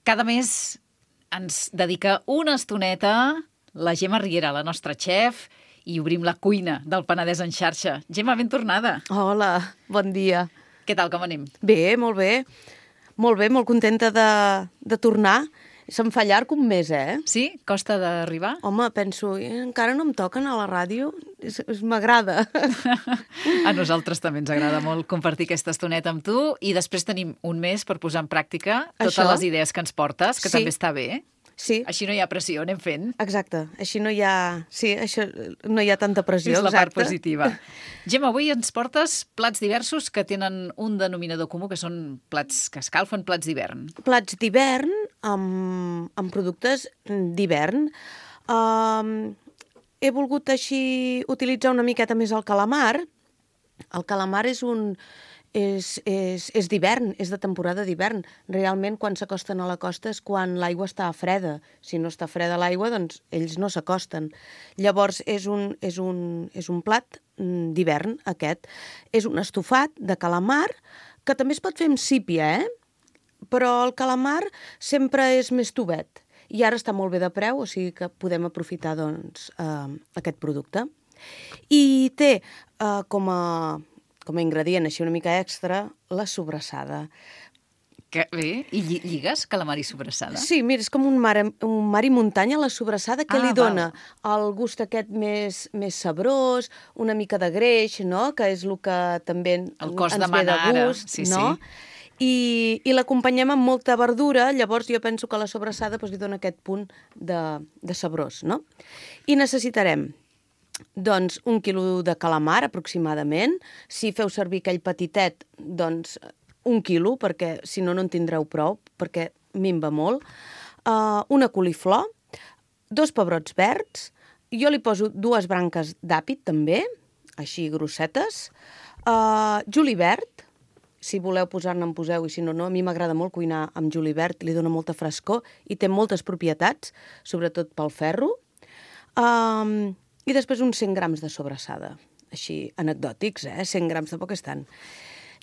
Cada mes ens dedica una estoneta la Gemma Riera, la nostra xef, i obrim la cuina del Penedès en xarxa. Gemma, ben tornada. Hola, bon dia. Què tal, com anem? Bé, molt bé. Molt bé, molt contenta de tornar. Se'm fa llarg un mes, eh? Sí? Costa d'arribar? Home, penso, encara no em toquen a la ràdio? M'agrada. A nosaltres també ens agrada molt compartir aquesta estoneta amb tu i després tenim un mes per posar en pràctica totes les idees que ens portes, que també està bé. Sí. Així no hi ha pressió, anem fent. Exacte, així no hi ha... Sí, això, no hi ha tanta pressió, és la part positiva. Gemma, avui ens portes plats diversos que tenen un denominador comú, que són plats que escalfen, plats d'hivern. Plats d'hivern amb productes d'hivern. He volgut així utilitzar una miqueta més el calamar. El calamar és d'hivern, és de temporada d'hivern. Realment, quan s'acosten a la costa és quan l'aigua està freda. Si no està freda l'aigua, doncs ells no s'acosten. Llavors, és un plat d'hivern, aquest. És un estofat de calamar, que també es pot fer amb sípia, però el calamar sempre és més tovet. I ara està molt bé de preu, o sigui que podem aprofitar doncs, aquest producte. I té com a ingredient així una mica extra, la sobrassada. Que bé, i lligues calamar i sobrassada? Sí, mira, és com un mar i muntanya, la sobrassada, que li dona el gust aquest més sabrós, una mica de greix, no?, que és el que també ens ve de gust, sí, no? Sí. I l'acompanyem amb molta verdura, llavors jo penso que la sobrassada li dona aquest punt de sabrós, no? I necessitarem doncs 1 quilo de calamar, aproximadament. Si feu servir aquell petitet, doncs 1 quilo, perquè si no, no en tindreu prou, perquè minva molt. Una coliflor, 2 pebrots verds, jo li poso 2 branques d'àpid, també, així grossetes, julivert, si voleu posar-ne en poseu, i si no, no. A mi m'agrada molt cuinar amb julivert, li dona molta frescor i té moltes propietats, sobretot pel ferro. I després uns 100 grams de sobrassada, així anecdòtics, 100 grams tampoc és tant.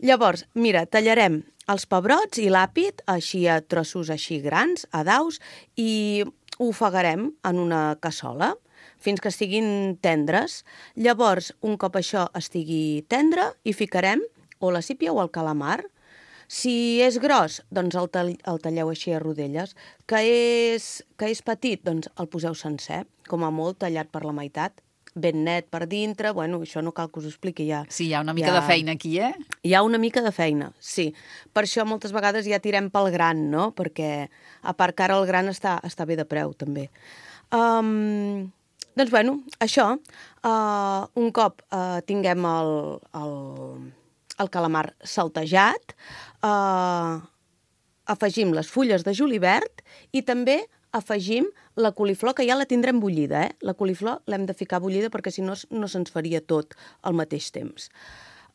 Llavors, mira, tallarem els pebrots i l'àpid així a trossos així grans, a daus, i ho ofegarem en una cassola fins que estiguin tendres. Llavors, un cop això estigui tendre, hi ficarem o la sípia o el calamar. Si és gros, doncs el talleu així a rodelles. Que és petit, doncs el poseu sencer, com a molt tallat per la meitat, ben net per dintre. Bueno, això no cal que us ho expliqui ja. Sí, hi ha una mica de feina aquí, Hi ha una mica de feina, sí. Per això moltes vegades ja tirem pel gran, no? Perquè, a part que ara el gran està bé de preu, també. Doncs, bueno, això, un cop tinguem el calamar saltejat, afegim les fulles de julivert i també afegim la coliflor, que ja la tindrem bullida, La coliflor l'hem de ficar bullida perquè si no, no se'ns faria tot al mateix temps.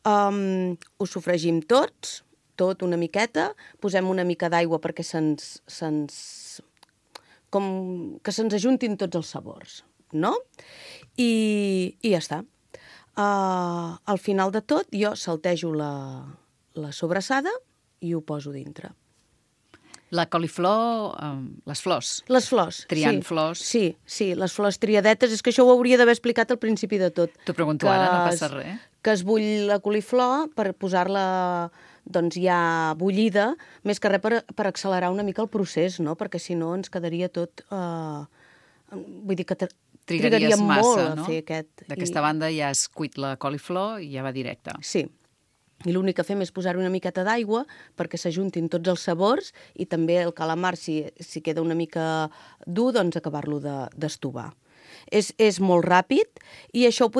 Ho sofregim tot una miqueta, posem una mica d'aigua perquè que se'ns ajuntin tots els sabors, no? I ja està. Al final de tot, jo saltejo la sobrassada i ho poso dintre. La coliflor, les flors. Les flors. Triant flors. Sí, les flors triadetes. És que això ho hauria d'haver explicat al principi de tot. T'ho pregunto ara, no passa res. Que es bull la coliflor per posar-la doncs ja bullida, més que res per accelerar una mica el procés, no? Perquè si no ens quedaria tot... vull dir que trigaria molt a fer aquest... D'aquesta banda ja has cuit la coliflor i ja va directe. Sí. I l'únic que fem és posar-hi una miqueta d'aigua perquè s'ajuntin tots els sabors i també el calamar, si queda una mica dur, doncs acabar-lo d'estovar. És molt ràpid i això ho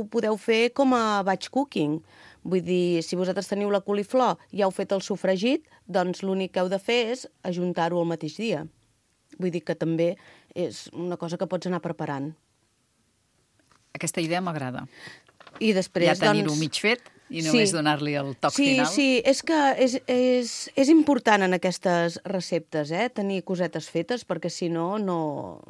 podeu fer com a batch cooking. Vull dir, si vosaltres teniu la coliflor i ja heu fet el sofregit, doncs l'únic que heu de fer és ajuntar-ho el mateix dia. Vull dir que també és una cosa que pots anar preparant. Aquesta idea m'agrada. I després, ja tenir-ho mig fet i només donar-li el toc final. Sí, és que és important en aquestes receptes, tenir cosetes fetes, perquè si no, no...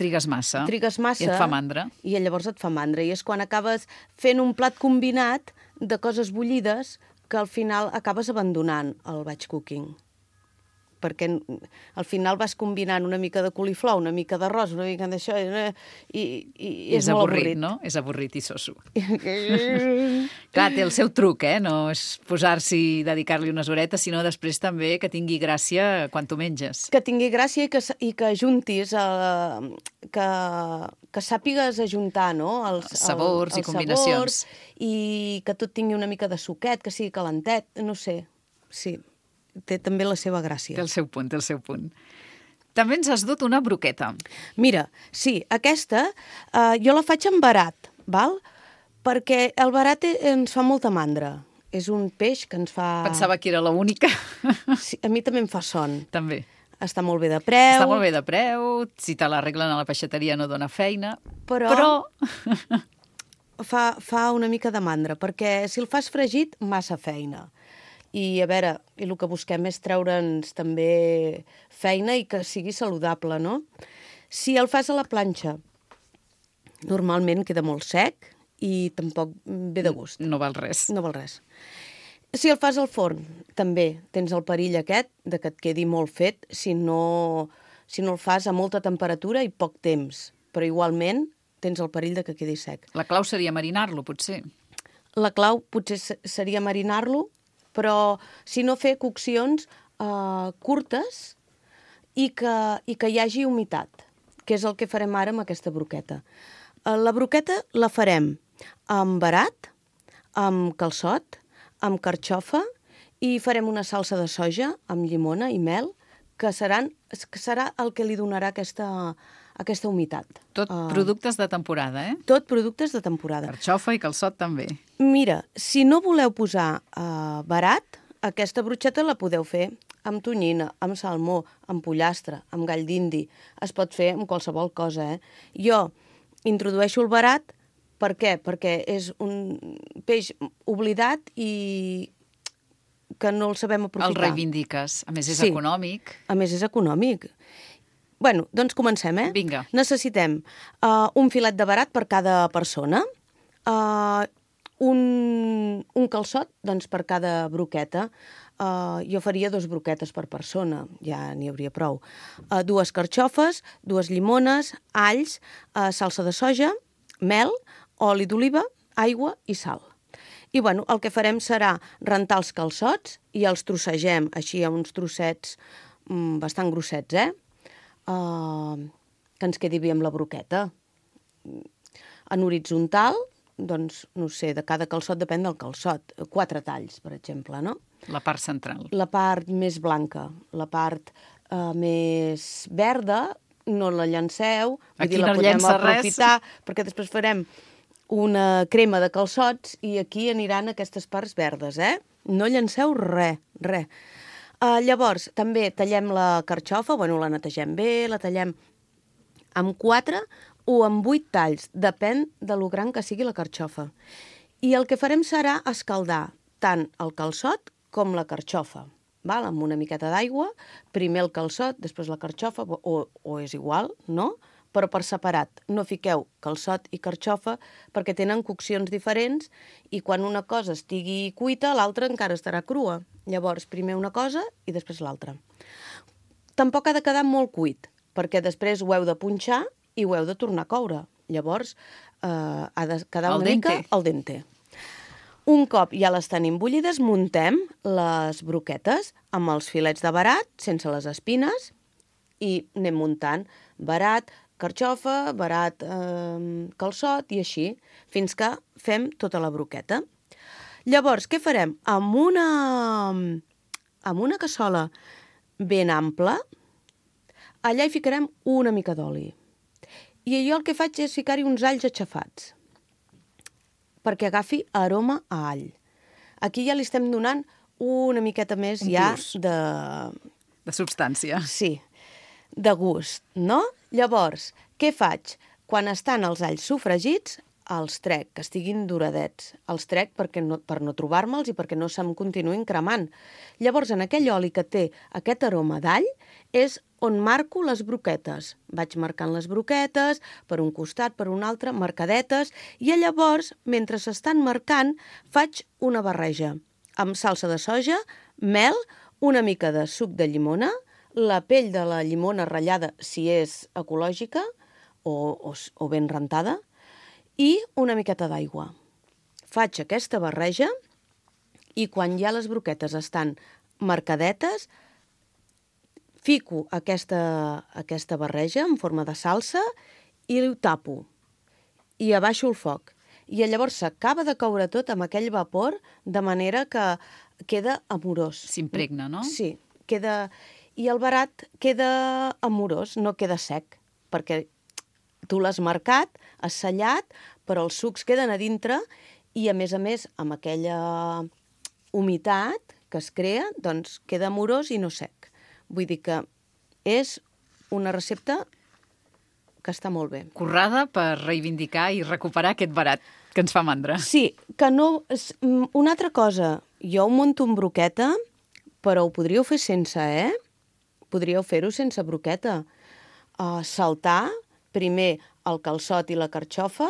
Trigues massa. I et fa mandra. I llavors et fa mandra. I és quan acabes fent un plat combinat de coses bullides que al final acabes abandonant el batch cooking. perquè al final vas combinant una mica de coliflor, una mica d'arròs, una mica d'això, i és molt avorrit. No? És avorrit i soso. Clar, té el seu truc, no és posar-s'hi i dedicar-li unes horetes, sinó després també que tingui gràcia quan t'ho menges. Que tingui gràcia i que ajuntis, que sàpigues ajuntar, no? Els sabors i combinacions. I que tot tingui una mica de suquet, que sigui calentet, no sé, sí. Té també la seva gràcia. Té el seu punt, té el seu punt. També ens has dut una broqueta. Mira, sí, aquesta jo la faig amb verat, val? Perquè el verat ens fa molta mandra. És un peix que ens fa... Pensava que era l'única. Sí, a mi també em fa son. També. Està molt bé de preu. Està molt bé de preu, si te l'arreglen a la peixateria no dona feina, però... fa una mica de mandra, perquè si el fas fregit, massa feina. I a veure, el que busquem és treure'ns també feina i que sigui saludable, no? Si el fas a la planxa, normalment queda molt sec i tampoc ve de gust. No val res. No val res. Si el fas al forn, també tens el perill aquest de que et quedi molt fet si no el fas a molta temperatura i poc temps. Però igualment tens el perill de que quedi sec. La clau seria marinar-lo, potser. La clau potser seria marinar-lo, però si no fer coccions curtes i que hi hagi humitat, que és el que farem ara amb aquesta broqueta. La broqueta la farem amb verat, amb calçot, amb carxofa i farem una salsa de soja amb llimona i mel, que serà el que li donarà aquesta humitat. Tot productes de temporada, Tot productes de temporada. Carxofa i calçot també. Mira, si no voleu posar verat, aquesta brocheta la podeu fer amb tonyina, amb salmó, amb pollastre, amb gall d'indi. Es pot fer amb qualsevol cosa, Jo introdueixo el verat, per què? Perquè és un peix oblidat i que no el sabem aprofitar. El reivindiques. A més, és econòmic. A més, és econòmic. Bueno, doncs comencem, Vinga. Necessitem un filet de verat per cada persona, un calçot, doncs, per cada broqueta. Jo faria 2 broquetes per persona, ja n'hi hauria prou. 2 carxofes, 2 llimones, alls, salsa de soja, mel, oli d'oliva, aigua i sal. I bueno, el que farem serà rentar els calçots i els trossegem així a uns trossets bastant grossets, que ens quedi bé amb la broqueta. En horitzontal, doncs, no sé, de cada calçot depèn del calçot. 4 talls, per exemple, no? La part central. La part més blanca, la part més verda, no la llanceu. Aquí no llença res. Perquè després farem una crema de calçots i aquí aniran aquestes parts verdes, No llanceu res. Llavors, també tallem la carxofa, la netegem bé, la tallem amb 4 o amb 8 talls, depèn de lo gran que sigui la carxofa. I el que farem serà escaldar tant el calçot com la carxofa, amb una miqueta d'aigua, primer el calçot, després la carxofa, o és igual, no? Però per separat. No fiqueu calçot i carxofa perquè tenen coccions diferents i quan una cosa estigui cuita, l'altra encara estarà crua. Llavors, primer una cosa i després l'altra. Tampoc ha de quedar molt cuit, perquè després ho heu de punxar i ho heu de tornar a coure. Llavors, ha de quedar una mica al dente. Un cop ja les tenim bullides, muntem les broquetes amb els filets de verat, sense les espines, i anem muntant verat, carxofa, verat, calçot i així, fins que fem tota la broqueta. Llavors, què farem? Amb una cassola ben ampla, allà hi ficarem una mica d'oli. I jo el que faig és ficar-hi uns alls aixafats, perquè agafi aroma a all. Aquí ja li estem donant una miqueta més de substància. Sí, de gust, no? Llavors, què faig? Quan estan els alls sofregits, els trec, que estiguin doradets. Els trec per no trobar-me'ls i perquè no se'm continuïn cremant. Llavors, en aquell oli que té aquest aroma d'all, és on marco les broquetes. Vaig marcant les broquetes per un costat, per un altre, marcadetes, i llavors, mentre s'estan marcant, faig una barreja amb salsa de soja, mel, una mica de suc de llimona, la pell de la llimona ratllada, si és ecològica o ben rentada, i una miqueta d'aigua. Faig aquesta barreja i quan ja les broquetes estan marcadetes, fico aquesta barreja en forma de salsa i ho tapo. I abaixo el foc. I llavors s'acaba de coure tot amb aquell vapor, de manera que queda amorós. S'impregna, no? Sí, queda... I el verat queda amorós, no queda sec, perquè tu l'has marcat, has sellat, però els sucs queden a dintre i, a més, amb aquella humitat que es crea, doncs queda amorós i no sec. Vull dir que és una recepta que està molt bé. Currada per reivindicar i recuperar aquest verat que ens fa mandra. Sí, que no... Una altra cosa, jo ho munto en broqueta, però ho podríeu fer sense, Podríeu fer-ho sense broqueta. Saltar primer el calçot i la carxofa,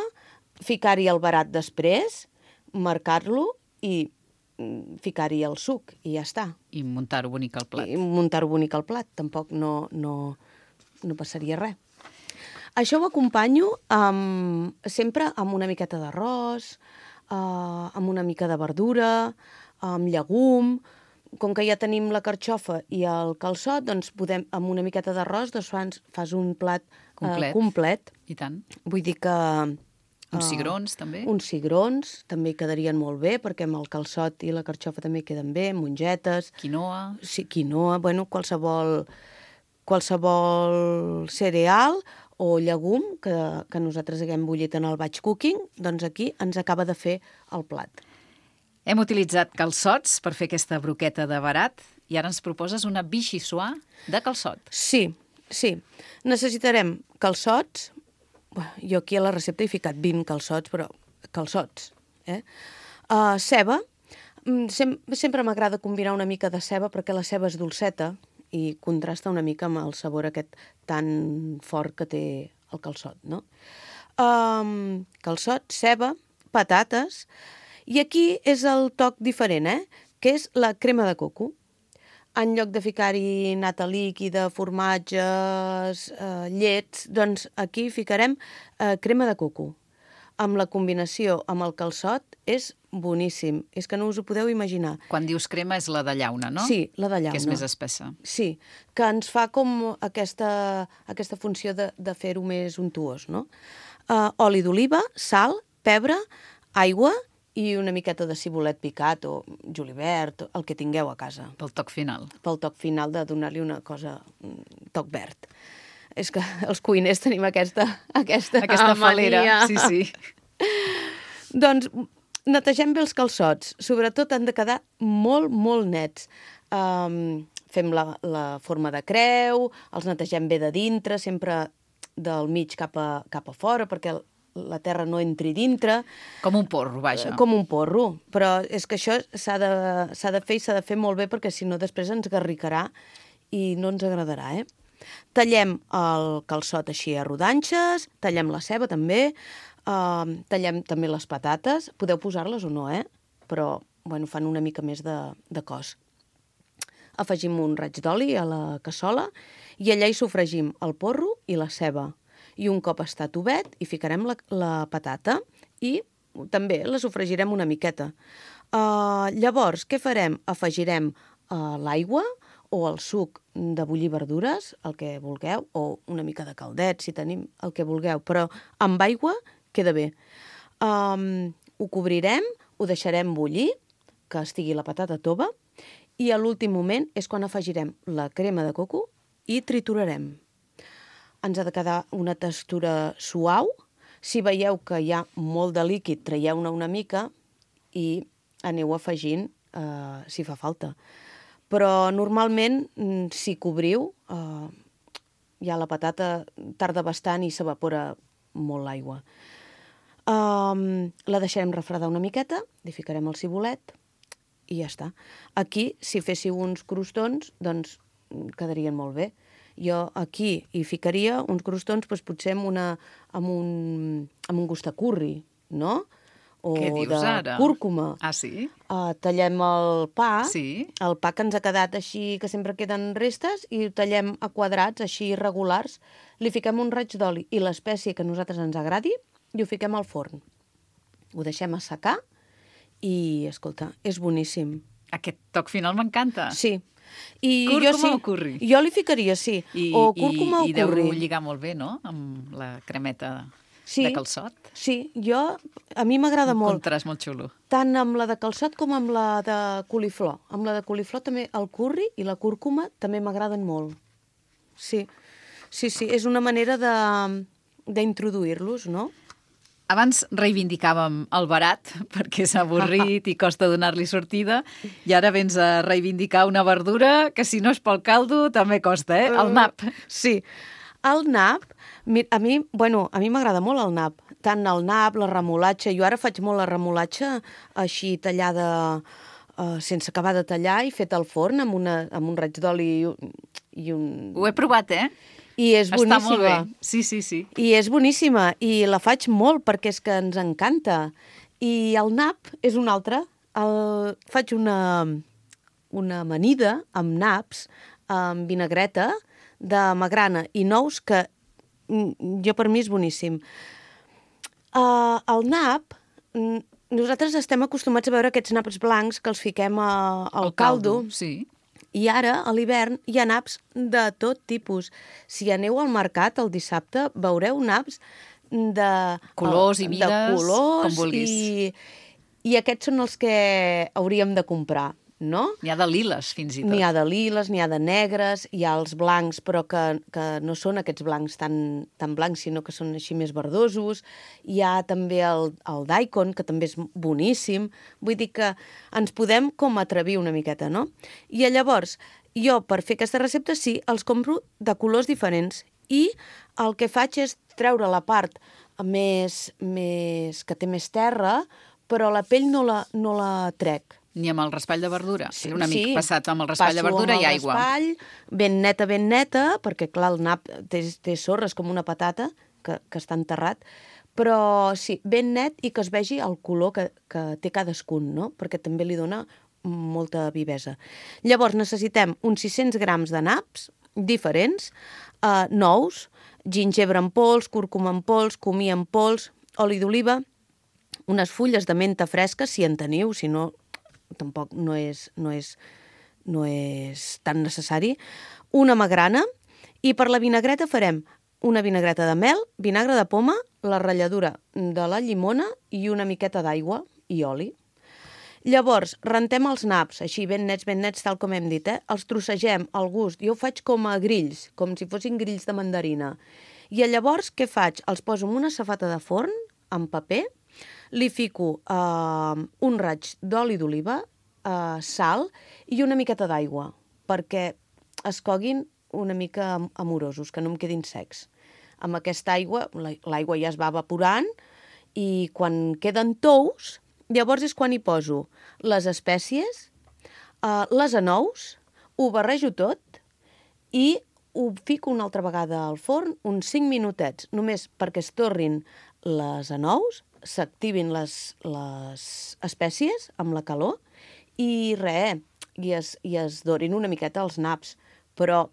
ficar-hi el verat després, marcar-lo i ficar-hi el suc i ja està. I muntar-ho bonic al plat. I muntar-ho bonic al plat, tampoc no passaria res. Això ho acompanyo sempre amb una miqueta d'arròs, amb una mica de verdura, amb llegum. Com que ja tenim la carxofa i el calçot, doncs amb una miqueta d'arròs fas un plat complet. I tant. Vull dir que... Uns cigrons, també? Uns cigrons també hi quedarien molt bé, perquè amb el calçot i la carxofa també queden bé, mongetes... Quinoa. Sí, quinoa, bueno, qualsevol cereal o llegum que nosaltres haguem bullit en el batch cooking, doncs aquí ens acaba de fer el plat. Hem utilitzat calçots per fer aquesta broqueta de verat i ara ens proposes una vichyssoise de calçot. Sí. Necessitarem calçots. Jo aquí a la recepta he ficat 20 calçots, però calçots. Ceba. Sempre m'agrada combinar una mica de ceba perquè la ceba és dolceta i contrasta una mica amb el sabor aquest tan fort que té el calçot, no? Calçot, ceba, patates... I aquí és el toc diferent, que és la crema de coco. En lloc de ficar-hi nata líquida, formatges, llets, doncs aquí ficarem crema de coco. Amb la combinació amb el calçot és boníssim. És que no us ho podeu imaginar. Quan dius crema és la de llauna, no? Sí, la de llauna. Que és més espessa. Sí, que ens fa com aquesta funció de fer-ho més untuós, no? Oli d'oliva, sal, pebre, aigua i una miqueta de cibulet picat o julivert, el que tingueu a casa. Pel toc final. Pel toc final de donar-li una cosa, un toc verd. És que els cuiners tenim aquesta falera. Sí. Doncs netegem bé els calçots. Sobretot han de quedar molt, molt nets. Fem la forma de creu, els netegem bé de dintre, sempre del mig cap a fora, perquè la terra no entri dintre. Com un porro, vaja. Com un porro, però és que això s'ha de fer i s'ha de fer molt bé perquè si no després ens garricarà i no ens agradarà, Tallem el calçot així a rodanxes, tallem la ceba també, tallem també les patates, podeu posar-les o no, però fan una mica més de cos. Afegim un raig d'oli a la cassola i allà hi sofregim el porro i la ceba. I un cop està tovet, hi ficarem la patata i també la sofregirem una miqueta. Llavors, què farem? Afegirem l'aigua o el suc de bullir verdures, el que vulgueu, o una mica de caldet, si tenim el que vulgueu, però amb aigua queda bé. Ho cobrirem, ho deixarem bullir, que estigui la patata tova, i a l'últim moment és quan afegirem la crema de coco i triturarem. Ens ha de quedar una textura suau. Si veieu que hi ha molt de líquid, traieu-ne una mica i aneu afegint si fa falta. Però normalment, si cobriu, ja la patata tarda bastant i s'evapora molt l'aigua. La deixarem refredar una miqueta, li ficarem el cibulet i ja està. Aquí, si féssiu uns crostons, doncs quedarien molt bé. Jo aquí hi ficaria uns crostons, doncs potser amb un gust de curri, no? o Què dius de ara? cúrcuma. Ah, sí? Tallem el pa, Sí. el pa que ens ha quedat així, que sempre queden restes, i ho tallem a quadrats, així irregulars, li fiquem un raig d'oli i l'espècie que a nosaltres ens agradi i ho fiquem al forn. Ho deixem assecar i, escolta, és boníssim. Aquest toc final m'encanta. Sí. I Cúrcuma jo sí, o curri? Jo li ficaria, sí. O cúrcuma o I deu curri. lligar molt bé, no?, amb la cremeta Sí, de calçot. sí, a mi m'agrada Un molt. contrast molt xulo. Tant amb la de calçot com amb la de coliflor. Amb la de coliflor també el curri i la cúrcuma també m'agraden molt. Sí, sí, sí, és una manera d'introduir-los, no? Abans reivindicàvem el barat, perquè és avorrit i costa donar-li sortida, i ara vens a reivindicar una verdura que, si no és pel caldo, també costa, el nap. Sí. El nap, a mi m'agrada molt el nap. Tant el nap, la remolatxa. Jo ara faig molt la remolatxa així tallada, sense acabar de tallar i feta al forn amb un raig d'oli i un... Ho he provat, I és boníssima. Està molt bé. Sí, sí, sí. I és boníssima. I la faig molt perquè és que ens encanta. I el nap és un altre. Faig una amanida amb naps, amb vinagreta de magrana i nous, que jo per mi és boníssim. El nap, nosaltres estem acostumats a veure aquests naps blancs que els fiquem al caldo. Sí. I ara, a l'hivern, hi ha naps de tot tipus. Si aneu al mercat el dissabte, veureu naps de colors i mides, de colors, com vulguis. I aquests són els que hauríem de comprar, no? N'hi ha de liles, fins i tot. N'hi ha de liles, n'hi ha de negres, hi ha els blancs, però que no són aquests blancs tan blancs, sinó que són així més verdosos. Hi ha també el daikon, que també és boníssim. Vull dir que ens podem com atrevir una miqueta, no? I llavors, jo, per fer aquesta recepta, sí, els compro de colors diferents. I el que faig és treure la part que té més terra, però la pell no la trec. Ni amb el raspall de verdura. Sí, Un amic passat amb el raspall de verdura i aigua. Passo amb el raspall, ben neta, perquè, clar, el nap té sorres com una patata, que està enterrat, però sí, ben net i que es vegi el color que té cadascun, no? Perquè també li dona molta vivesa. Llavors necessitem uns 600 grams de naps diferents, nous, gingebre en pols, cúrcuma en pols, comí en pols, oli d'oliva, unes fulles de menta fresca, si en teniu, si no, tampoc no és tan necessari, una magrana, i per la vinagreta farem una vinagreta de mel, vinagre de poma, la ratlladura de la llimona i una miqueta d'aigua i oli. Llavors, rentem els naps, així ben nets, tal com hem dit, els trossegem al gust. Jo ho faig com a grills, com si fossin grills de mandarina. I llavors, què faig? Els poso en una safata de forn, amb paper, li fico un raig d'oli d'oliva, sal i una miqueta d'aigua, perquè es coguin una mica amorosos, que no em quedin secs. Amb aquesta aigua, l'aigua ja es va evaporant, i quan queden tous, llavors és quan hi poso les espècies, les anous, ho barrejo tot i ho fico una altra vegada al forn, uns 5 minutets, només perquè es torrin les anous, s'activin les espècies amb la calor i es dorin una miqueta els naps. Però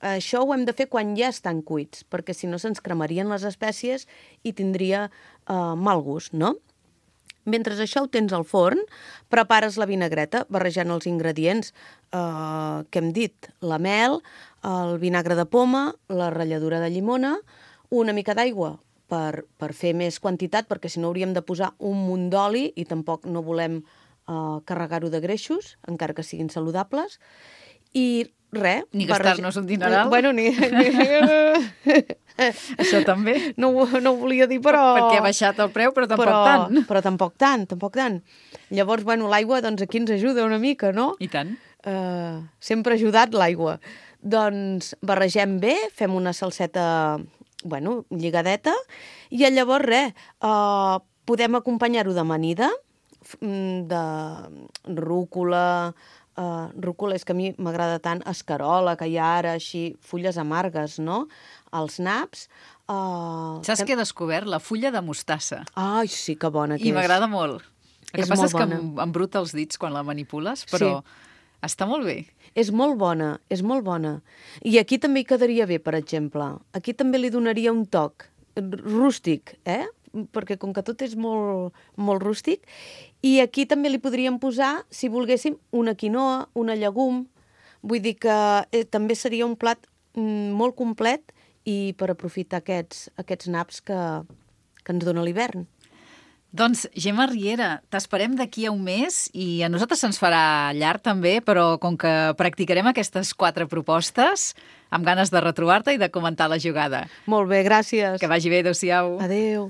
això ho hem de fer quan ja estan cuits, perquè si no se'ns cremarien les espècies i tindria mal gust, no? Mentre això ho tens al forn, prepares la vinagreta barrejant els ingredients que hem dit, la mel, el vinagre de poma, la ratlladura de llimona, una mica d'aigua per fer més quantitat, perquè si no hauríem de posar un munt d'oli i tampoc no volem carregar-ho de greixos, encara que siguin saludables, i res. Ni gastar-nos un dineral. Bueno, Això també. No ho volia dir, però... Perquè ha baixat el preu, però tampoc tant. Però tampoc tant. Llavors, bueno, l'aigua, doncs aquí ens ajuda una mica, no? I tant. Sempre ha ajudat l'aigua. Doncs barregem bé, fem una salseta, bueno, lligadeta, i llavors res, podem acompanyar-ho d'amanida, de rúcula, rúcula, és que a mi m'agrada tant, escarola, que hi ha ara així, fulles amargues, no? Els naps. Saps què he descobert? La fulla de mostassa. Ai, sí, que bona que és. I m'agrada molt. El que passa és que bona. embruta els dits quan la manipules, però està molt bé. És molt bona, és molt bona. I aquí també hi quedaria bé, per exemple. Aquí també li donaria un toc rústic, perquè com que tot és molt, molt rústic. I aquí també li podríem posar, si volguéssim, una quinoa, una llegum. Vull dir que també seria un plat molt complet i per aprofitar aquests naps que ens dona l'hivern. Doncs, Gemma Riera, t'esperem d'aquí a un mes i a nosaltres se'ns farà llarg també, però com que practicarem aquestes 4 propostes, amb ganes de retrobar-te i de comentar la jugada. Molt bé, gràcies. Que vagi bé, adéu-siau. Adéu.